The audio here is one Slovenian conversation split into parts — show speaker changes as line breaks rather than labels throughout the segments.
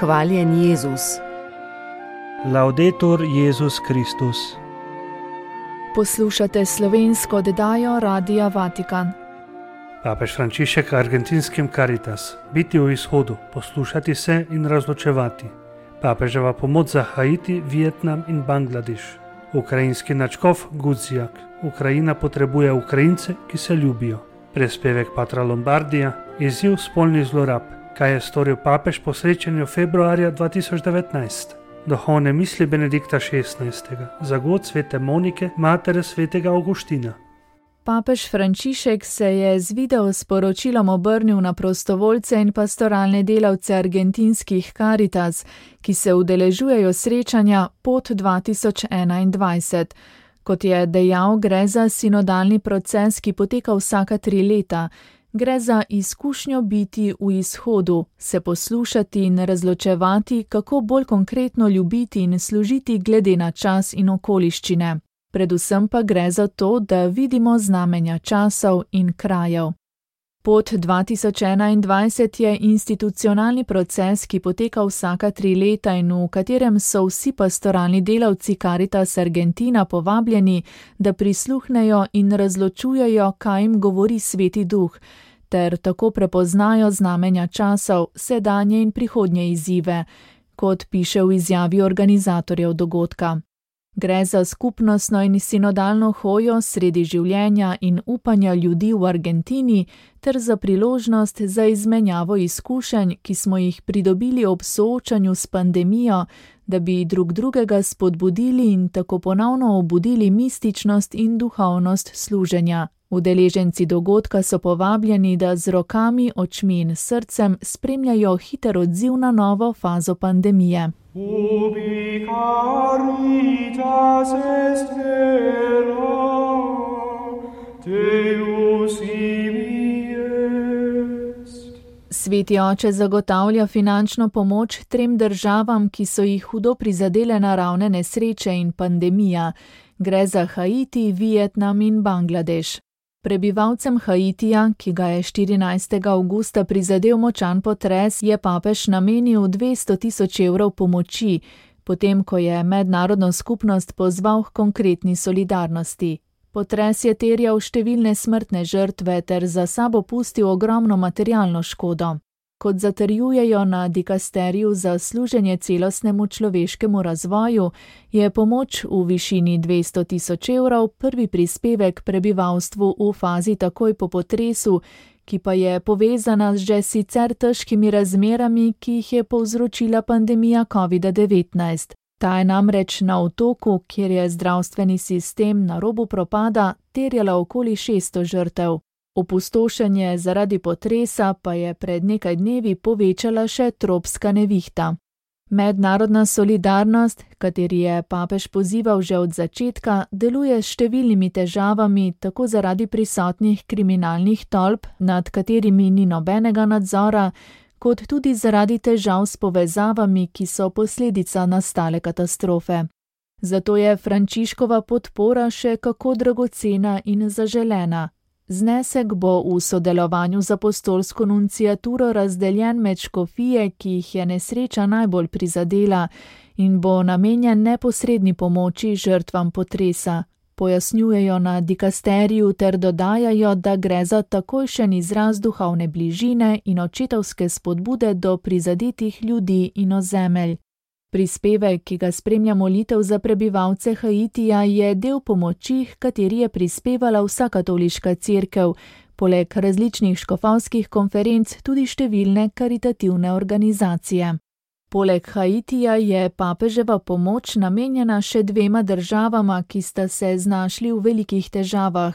Hvaljen Jezus.
Laudetur Jezus Kristus.
Poslušate slovensko oddajo Radia Vatikan.
Papež Frančišek argentinskim Caritas. Biti v izhodu, poslušati se in razločevati. Papeževa pomoč za Haiti, Vietnam in Bangladeš. Ukrajinski nadškof Gudzjak. Ukrajina potrebuje Ukrajince, ki se ljubijo. Prispevek patra Lombardija. Izziv spolnih zlorab. Kaj je storil papež po srečanju februarja 2019? Duhovne misli Benedikta XVI. Zagod svete Monike, matere svetega Avguština.
Papež Frančišek se je z video sporočilom obrnil na prostovoljce in pastoralne delavce argentinskih Caritas, ki se udeležujejo srečanja Pot 2021. Kot je dejal, gre za sinodalni proces, ki poteka vsaka 3 leta. Gre za izkušnjo biti v izhodu, se poslušati in razločevati, kako bolj konkretno ljubiti in služiti glede na čas in okoliščine. Predvsem pa gre za to, da vidimo znamenja časov in krajev. Pot 2021 je institucionalni proces, ki poteka vsaka 3 leta in v katerem so vsi pastoralni delavci Caritas Argentina povabljeni, da prisluhnejo in razločujejo, kaj jim govori Sveti Duh, ter tako prepoznajo znamenja časov, sedanje in prihodnje izzive, kot piše v izjavi organizatorjev dogodka. Gre za skupnostno in sinodalno hojo sredi življenja in upanja ljudi v Argentini ter za priložnost za izmenjavo izkušenj, ki smo jih pridobili ob soočanju s pandemijo, da bi drug drugega spodbudili in tako ponovno obudili mističnost in duhovnost služenja. Udeleženci dogodka so povabljeni, da z rokami, očmi in srcem spremljajo hiter odziv na novo fazo pandemije.
Ubi caritas est vera, Deus ibi est.
Sveti oče zagotavlja finančno pomoč 3 državam, ki so jih hudo prizadele naravne nesreče in pandemija. Gre za Haiti, Vietnam in Bangladeš. Prebivalcem Haitija, ki ga je 14. avgusta prizadel močan potres, je papež namenil 200.000 evrov pomoči, potem ko je mednarodno skupnost pozval k konkretni solidarnosti. Potres je terjal številne smrtne žrtve ter za sabo pustil ogromno materialno škodo. Kot zatrjujejo na dikasteriju za služenje celostnemu človeškemu razvoju, je pomoč v višini 200.000 evrov prvi prispevek prebivalstvu v fazi takoj po potresu, ki pa je povezana z že sicer težkimi razmerami, ki jih je povzročila pandemija COVID-19. Ta je namreč na otoku, kjer je zdravstveni sistem na robu propada, terjala okoli 600 žrtev. Opustošenje zaradi potresa pa je pred nekaj dnevi povečala še tropska nevihta. Mednarodna solidarnost, kateri je papež pozival že od začetka, deluje s številnimi težavami, tako zaradi prisotnih kriminalnih tolp, nad katerimi ni nobenega nadzora, kot tudi zaradi težav s povezavami, ki so posledica nastale katastrofe. Zato je Frančiškova podpora še kako dragocena in zaželena. Znesek bo v sodelovanju z apostolsko nunciaturo razdeljen med škofije, ki jih je nesreča najbolj prizadela, in bo namenjen neposredni pomoči žrtvam potresa. Pojasnjujejo na dikasteriju ter dodajajo, da gre za takojšen izraz duhovne bližine in očetovske spodbude do prizadetih ljudi in ozemelj. Prispevek, ki ga spremlja molitev za prebivalce Haitija, je del pomoči, h kateri je prispevala vsa katoliška cerkev, poleg različnih škofovskih konferenc tudi številne karitativne organizacije. Poleg Haitija je papeževa pomoč namenjena še 2 državama, ki sta se znašli v velikih težavah.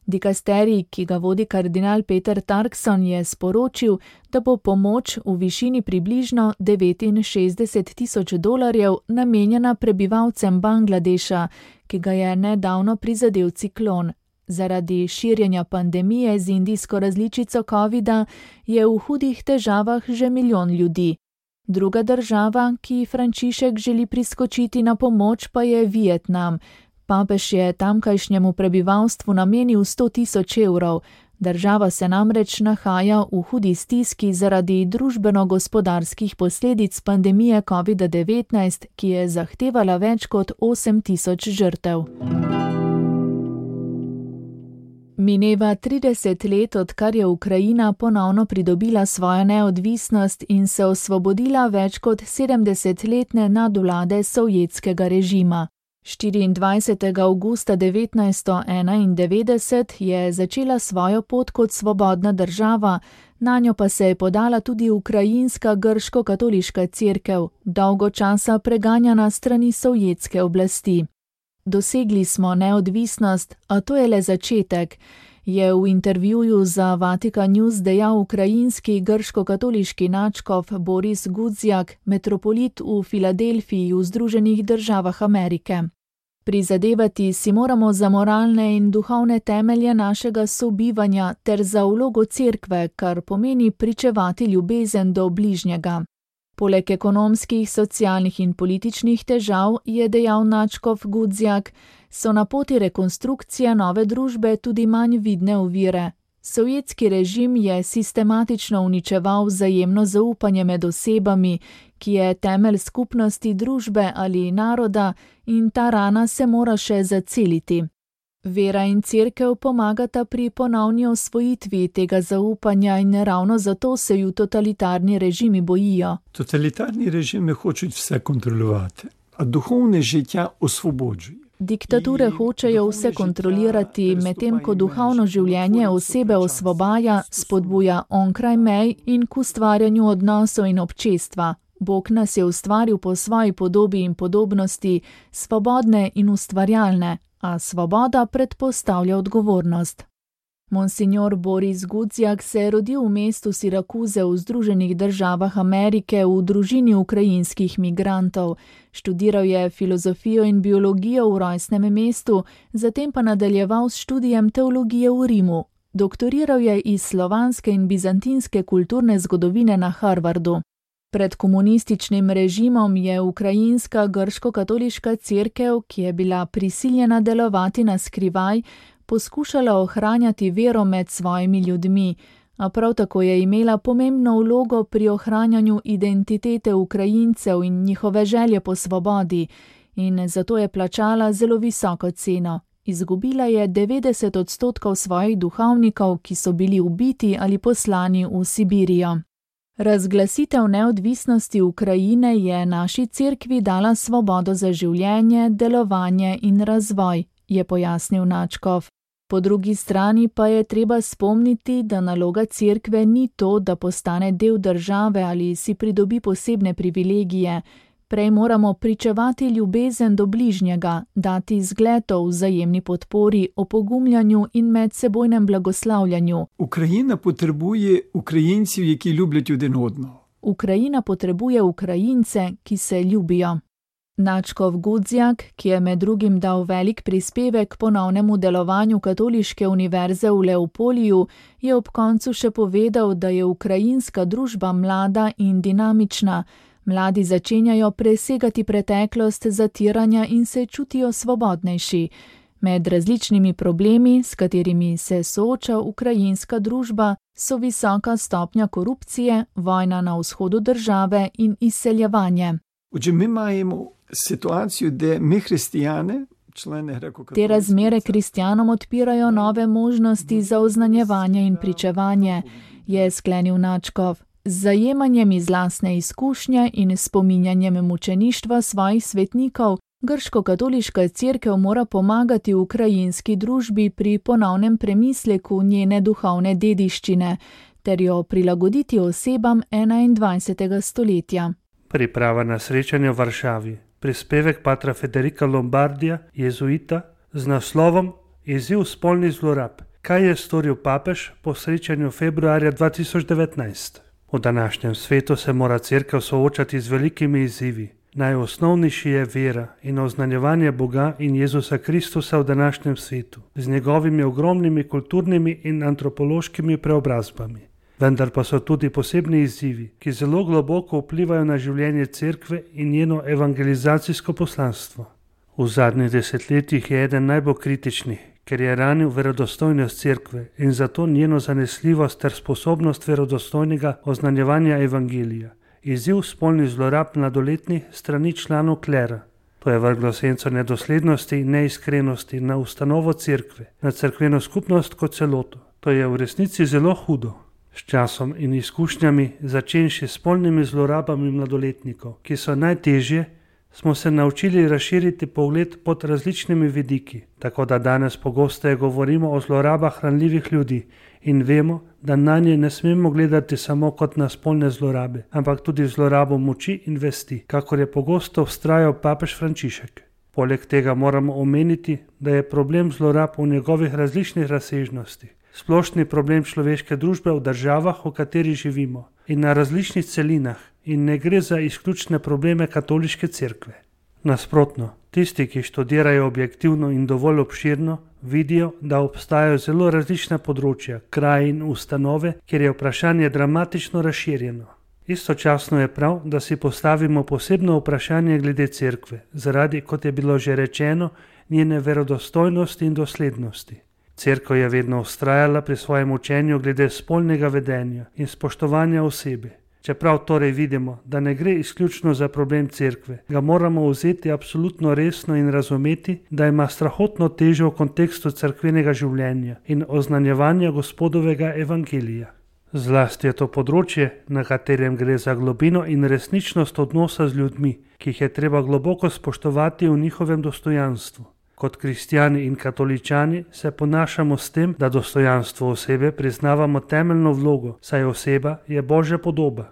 Dikasterij, ki ga vodi kardinal Peter Turkson, je sporočil, da bo pomoč v višini približno $69.000 namenjena prebivalcem Bangladeša, ki ga je nedavno prizadel ciklon. Zaradi širjenja pandemije z indijsko različico COVID-a je v hudih težavah že 1 milijon ljudi. Druga država, ki Frančišek želi priskočiti na pomoč, pa je Vietnam. Papež je tamkajšnjemu prebivalstvu namenil 100.000 evrov, Država se namreč nahaja v hudi stiski zaradi družbeno-gospodarskih posledic pandemije COVID-19, ki je zahtevala več kot 8.000 žrtev. Mineva 30 let, odkar je Ukrajina ponovno pridobila svojo neodvisnost in se osvobodila več kot 70-letne nadvlade sovjetskega režima. 24. avgusta 1991 je začela svojo pot kot svobodna država, nanjo pa se je podala tudi ukrajinska grško-katoliška cerkev, dolgo časa preganjana strani sovjetske oblasti. Dosegli smo neodvisnost, a to je le začetek, je v intervjuju za Vatikan News dejal ukrajinski grško-katoliški nadškof Boris Gudzjak, metropolit v Filadelfiji v Združenih državah Amerike. Prizadevati si moramo za moralne in duhovne temelje našega sobivanja ter za vlogo cerkve, kar pomeni pričevati ljubezen do bližnjega. Poleg ekonomskih, socialnih in političnih težav, je dejal nadškof Gudzjak, so na poti rekonstrukcije nove družbe tudi manj vidne ovire. Sovjetski režim je sistematično uničeval vzajemno zaupanje med osebami, ki je temelj skupnosti družbe ali naroda, in ta rana se mora še zaceliti. Vera in cerkev pomagata pri ponovni osvojitvi tega zaupanja in ravno zato se ju totalitarni režimi bojijo.
Totalitarni režimi hočejo vse kontrolovati, a duhovne žitja osvobođujejo.
Diktature hočejo vse kontrolirati, medtem ko duhovno življenje osebe osvobaja, spodbuja onkraj mej in k ustvarjanju odnosov in občestva. Bog nas je ustvaril po svoji podobi in podobnosti, svobodne in ustvarjalne, a svoboda predpostavlja odgovornost. Monsignor Boris Gudzjak se je rodil v mestu Sirakuze v Združenih državah Amerike v družini ukrajinskih migrantov. Študiral je filozofijo in biologijo v rojstnem mestu, zatem pa nadaljeval s študijem teologije v Rimu. Doktoriral je iz slovanske in bizantinske kulturne zgodovine na Harvardu. Pred komunističnim režimom je ukrajinska grško-katoliška cerkev, ki je bila prisiljena delovati na skrivaj, poskušala ohranjati vero med svojimi ljudmi, a prav tako je imela pomembno vlogo pri ohranjanju identitete Ukrajincev in njihove želje po svobodi, in zato je plačala zelo visoko ceno. Izgubila je 90% svojih duhovnikov, ki so bili ubiti ali poslani v Sibirijo. Razglasitev neodvisnosti Ukrajine je naši cerkvi dala svobodo za življenje, delovanje in razvoj, je pojasnil nadškof. Po drugi strani pa je treba spomniti, da naloga cerkve ni to, da postane del države ali si pridobi posebne privilegije. Prej moramo pričevati ljubezen do bližnjega, dati zgled o vzajemni podpori, opogumljanju in medsebojnem blagoslavljanju.
Ukrajina potrebuje Ukrajincev, ki ljubljajo jeden odno.
Ukrajina potrebuje Ukrajince, ki se ljubijo. Nadškof Gudzjak, ki je med drugim dal velik prispevek ponovnemu delovanju Katoliške univerze v Leopoliju, je ob koncu še povedal, da je ukrajinska družba mlada in dinamična. Mladi začenjajo presegati preteklost zatiranja in se čutijo svobodnejši. Med različnimi problemi, s katerimi se sooča ukrajinska družba, so visoka stopnja korupcije, vojna na vzhodu države in izseljevanje.
Mi imamo situacijo, da mi kristijane,
te razmere kristjanom odpirajo nove možnosti za oznanjevanje in pričevanje, je sklenil nadškof. Z zajemanjem iz lastne izkušnje in spominjanjem mučeništva svojih svetnikov, grško-katoliška cerkev mora pomagati ukrajinski družbi pri ponovnem premisleku njene duhovne dediščine, ter jo prilagoditi osebam 21. stoletja.
Priprava na srečanje v Varšavi. Prispevek patra Federica Lombardija, jezuita, z naslovom Izziv spolnih zlorab. Kaj je storil papež po srečanju februarja 2019? V današnjem svetu se mora cerkev soočati z velikimi izzivi. Najosnovnejši je vera in oznanjevanje Boga in Jezusa Kristusa v današnjem svetu, z njegovimi ogromnimi kulturnimi in antropološkimi preobrazbami. Vendar pa so tudi posebni izzivi, ki zelo globoko vplivajo na življenje cerkve in njeno evangelizacijsko poslanstvo. V zadnjih desetletjih je eden najbolj kritičnih, ker je ranil verodostojnost cerkve in zato njeno zanesljivost ter sposobnost verodostojnega oznanjevanja evangelija. Izziv spolnih zlorab mladoletnih strani članov klera. To je vrglo senco nedoslednosti in neiskrenosti na ustanovo cerkve, na cerkveno skupnost kot celoto. To je v resnici zelo hudo. S časom in izkušnjami, začenši s spolnimi zlorabami mladoletnikov, ki so najtežje, smo se naučili razširiti pogled pod različnimi vidiki, tako da danes pogosteje govorimo o zlorabah ranljivih ljudi in vemo, da nanje ne smemo gledati samo kot na spolne zlorabe, ampak tudi zlorabo moči in vesti, kakor je pogosto vztrajal papež Frančišek. Poleg tega moramo omeniti, da je problem zlorab v njegovih različnih razsežnostih splošni problem človeške družbe v državah, v katerih živimo, in na različnih celinah, in ne gre za izključne probleme katoliške cerkve. Nasprotno, tisti, ki študirajo objektivno in dovolj obširno, vidijo, da obstajajo zelo različna področja, kraji in ustanove, kjer je vprašanje dramatično razširjeno. Istočasno je prav, da si postavimo posebno vprašanje glede cerkve, zaradi, kot je bilo že rečeno, njene verodostojnosti in doslednosti. Cerkev je vedno vztrajala pri svojem učenju glede spolnega vedenja in spoštovanja osebe. Čeprav torej vidimo, da ne gre izključno za problem cerkve, ga moramo vzeti absolutno resno in razumeti, da ima strahotno težo v kontekstu cerkvenega življenja in oznanjevanja Gospodovega evangelija. Zlasti je to področje, na katerem gre za globino in resničnost odnosa z ljudmi, ki jih je treba globoko spoštovati v njihovem dostojanstvu. Kot kristjani in katoličani se ponašamo s tem, da dostojanstvo osebe priznavamo temeljno vlogo, saj oseba je Božja podoba.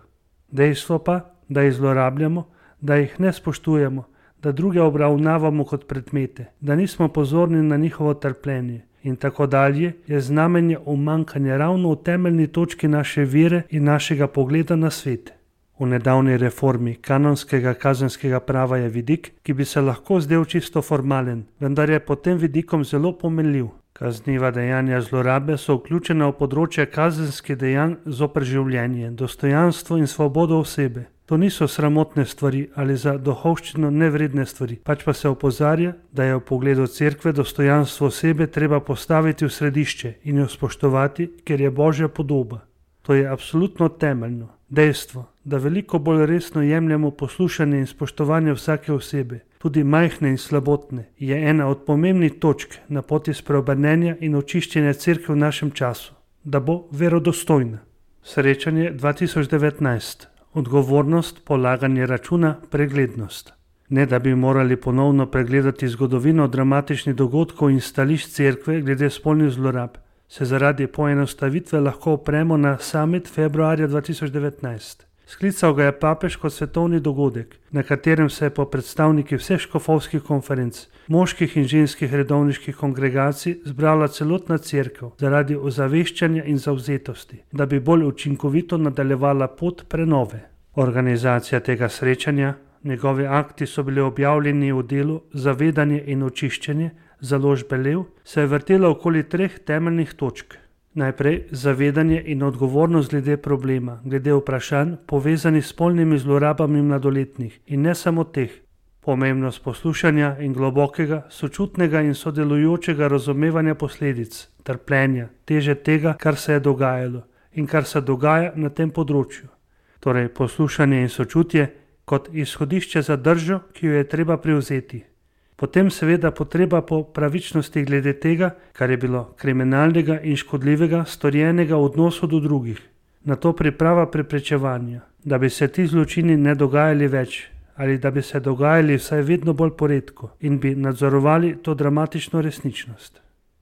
Dejstvo pa, da jih zlorabljamo, da jih ne spoštujemo, da druge obravnavamo kot predmete, da nismo pozorni na njihovo trpljenje in tako dalje, je znamenje umanjkanja ravno v temeljni točki naše vere in našega pogleda na svet. V nedavni reformi kanonskega kazenskega prava je vidik, ki bi se lahko zdel čisto formalen, vendar je pod tem vidikom zelo pomenljiv. Kazniva dejanja zlorabe so vključena v področje kazenskih dejanj zoper življenje, dostojanstvo in svobodo osebe. To niso sramotne stvari ali za duhovščino nevredne stvari, pač pa se opozarja, da je v pogledu cerkve dostojanstvo osebe treba postaviti v središče in jo spoštovati, ker je Božja podoba. To je absolutno temeljno. Dejstvo, da veliko bolj resno jemljemo poslušanje in spoštovanje vsake osebe, tudi majhne in slabotne, je ena od pomembnih točk na poti spreobrnenja in očiščenja cerkve v našem času, da bo verodostojna. Srečanje 2019. Odgovornost, polaganje računa, preglednost. Ne da bi morali ponovno pregledati zgodovino dramatičnih dogodkov in stališč cerkve glede spolnih zlorab, se zaradi poenostavitve lahko opremo na summit februarja 2019. Sklical ga je papež kot svetovni dogodek, na katerem se je po predstavniki vseh škofovskih konferenc, moških in ženskih redovniških kongregacij zbrala celotna cerkev zaradi ozaveščanja in zavzetosti, da bi bolj učinkovito nadaljevala pot prenove. Organizacija tega srečanja, njegovi akti so bili objavljeni v delu Zavedanje in očiščenje, založbe Lev, se je vrtela okoli 3 temeljnih točk. Najprej zavedanje in odgovornost glede problema, glede vprašanj povezanih s spolnimi zlorabami mladoletnih in ne samo teh. Pomembnost poslušanja in globokega, sočutnega in sodelujočega razumevanja posledic, trpljenja, teže tega, kar se je dogajalo in kar se dogaja na tem področju. Torej poslušanje in sočutje kot izhodišče za držo, ki jo je treba prevzeti. Potem seveda potreba po pravičnosti glede tega, kar je bilo kriminalnega in škodljivega storjenega v odnosu do drugih. Na to priprava preprečevanja, da bi se ti zločini ne dogajali več ali da bi se dogajali vsaj vedno bolj poredko in bi nadzorovali to dramatično resničnost.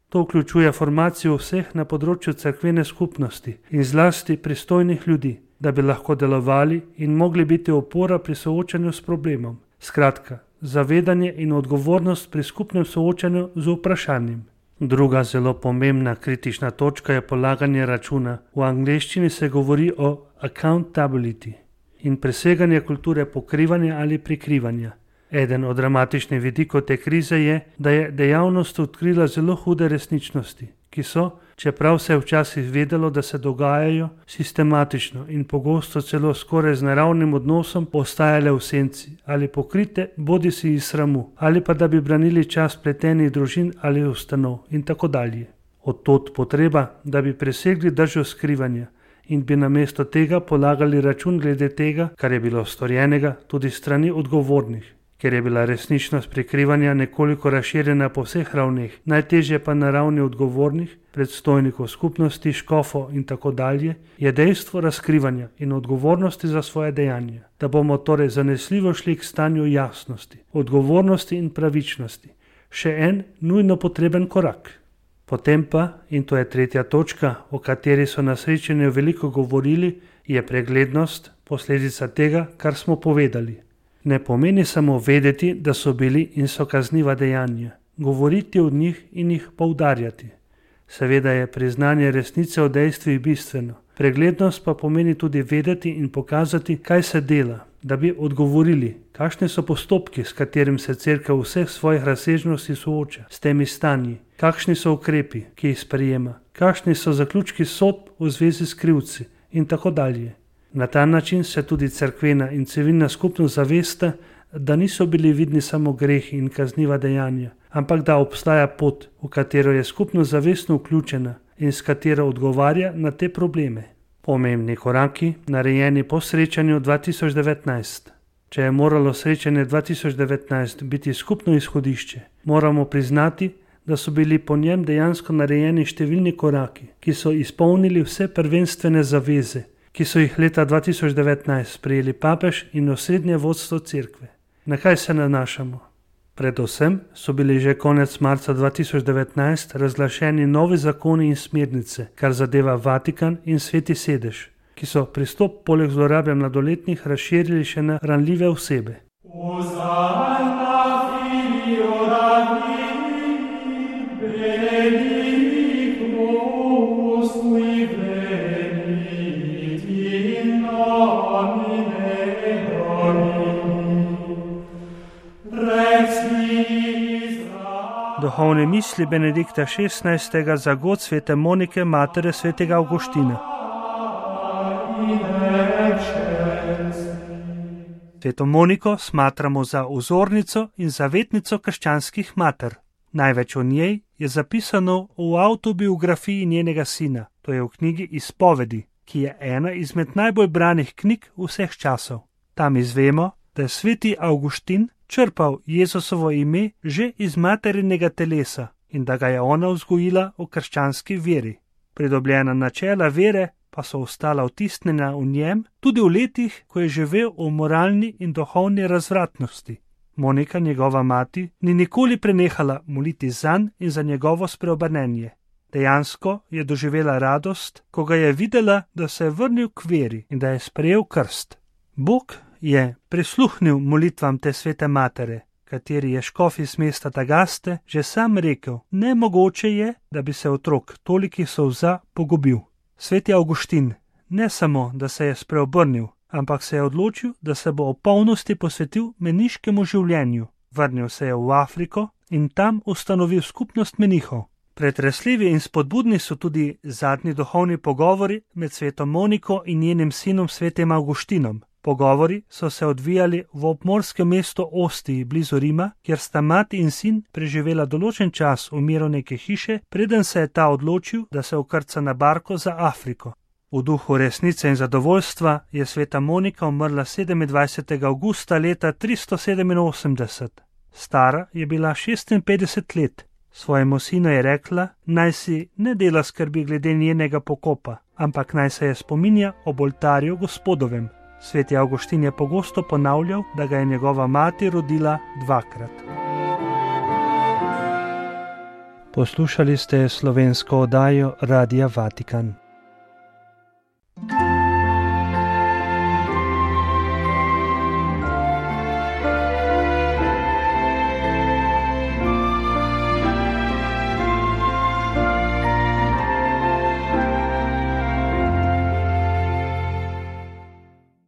To vključuje formacijo vseh na področju cerkvene skupnosti in zlasti pristojnih ljudi, da bi lahko delovali in mogli biti opora pri soočanju s problemom. Skratka, zavedanje in odgovornost pri skupnem soočanju z vprašanjem. Druga zelo pomembna kritična točka je polaganje računa. V angleščini se govori o accountability in preseganje kulture pokrivanja ali prikrivanja. Eden od dramatičnih vidikov te krize je, da je dejavnost odkrila zelo hude resničnosti, ki so, čeprav se je včasih vedelo, da se dogajajo sistematično in pogosto celo skoraj z naravnim odnosom ostajale v senci ali pokrite bodisi iz sramu ali pa da bi branili čas pletenih družin ali ustanov in tako dalje. Od tod potreba, da bi presegli držo skrivanja in bi namesto tega polagali račun glede tega, kar je bilo storjenega tudi strani odgovornih. Ker je bila resničnost prikrivanja nekoliko razširjena po vseh ravneh, najtežje pa na ravni odgovornih, predstojnikov skupnosti, škofov in tako dalje, je dejstvo razkrivanja in odgovornosti za svoje dejanja, da bomo torej zanesljivo šli k stanju jasnosti, odgovornosti in pravičnosti. Še en nujno potreben korak. Potem pa, in to je tretja točka, o kateri so na srečanju veliko govorili, je preglednost, posledica tega, kar smo povedali. Ne pomeni samo vedeti, da so bili in so kazniva dejanja, govoriti o njih in jih poudarjati. Seveda je priznanje resnice o dejstvih bistveno. Preglednost pa pomeni tudi vedeti in pokazati, kaj se dela, da bi odgovorili, kakšni so postopki, s katerim se cerkev v vseh svojih razsežnosti sooča s temi stanji, kakšni so ukrepi, ki jih sprejema, kakšni so zaključki sodb v zvezi s krivci in tako dalje. Na ta način se tudi cerkvena in civilna skupnost zavesta, da niso bili vidni samo grehi in kazniva dejanja, ampak da obstaja pot, v katero je skupnost zavestno vključena in s katero odgovarja na te probleme. Pomembni koraki, narejeni po srečanju 2019. Če je moralo srečanje 2019 biti skupno izhodišče, moramo priznati, da so bili po njem dejansko narejeni številni koraki, ki so izpolnili vse prvenstvene zaveze, ki so jih leta 2019 sprejeli papež in osrednje vodstvo cerkve. Na kaj se nanašamo? Predvsem so bili že konec marca 2019 razglašeni novi zakoni in smernice, kar zadeva Vatikan in Sveti sedež, ki so pristop poleg zlorabe mladoletnih razširili še na ranljive osebe. Duhovne misli Benedikta XVI. Za god svete Monike, matere svetega Avguština. Sveto Moniko smatramo za vzornico in zavetnico krščanskih mater. Največ o njej je zapisano v avtobiografiji njenega sina, to je v knjigi Izpovedi, ki je ena izmed najbolj branih knjig vseh časov. Tam izvemo, da je sveti Avguštin črpal Jezusovo ime že iz materinega telesa in da ga je ona vzgojila v krščanski veri. Pridobljena načela vere pa so ostala vtisnjena v njem tudi v letih, ko je živel v moralni in duhovni razvratnosti. Monika, njegova mati, ni nikoli prenehala moliti zanj in za njegovo spreobrnenje. Dejansko je doživela radost, ko ga je videla, da se je vrnil k veri in da je sprejel krst. Bog je prisluhnil molitvam te svete matere, kateri je škof iz mesta Tagaste že sam rekel, nemogoče je, da bi se otrok tolikih solza pogubil. Sveti Avguštin ne samo, da se je spreobrnil, ampak se je odločil, da se bo v polnosti posvetil meniškemu življenju. Vrnil se je v Afriko in tam ustanovil skupnost menihov. Pretresljivi in spodbudni so tudi zadnji duhovni pogovori med sveto Moniko in njenim sinom svetim Avguštinom. Pogovori so se odvijali v obmorskem mestu Ostiji blizu Rima, kjer sta mati in sin preživela določen čas v miru neke hiše, preden se je ta odločil, da se vkrca na barko za Afriko. V duhu resnice in zadovoljstva je sveta Monika umrla 27. avgusta leta 387. Stara je bila 56 let. Svojemu sinu je rekla, naj si ne dela skrbi glede njenega pokopa, ampak naj se je spominja ob oltarju Gospodovem. Sveti Avguštin je pogosto ponavljal, da ga je njegova mati rodila dvakrat. Poslušali ste slovensko oddajo Radia Vatikan.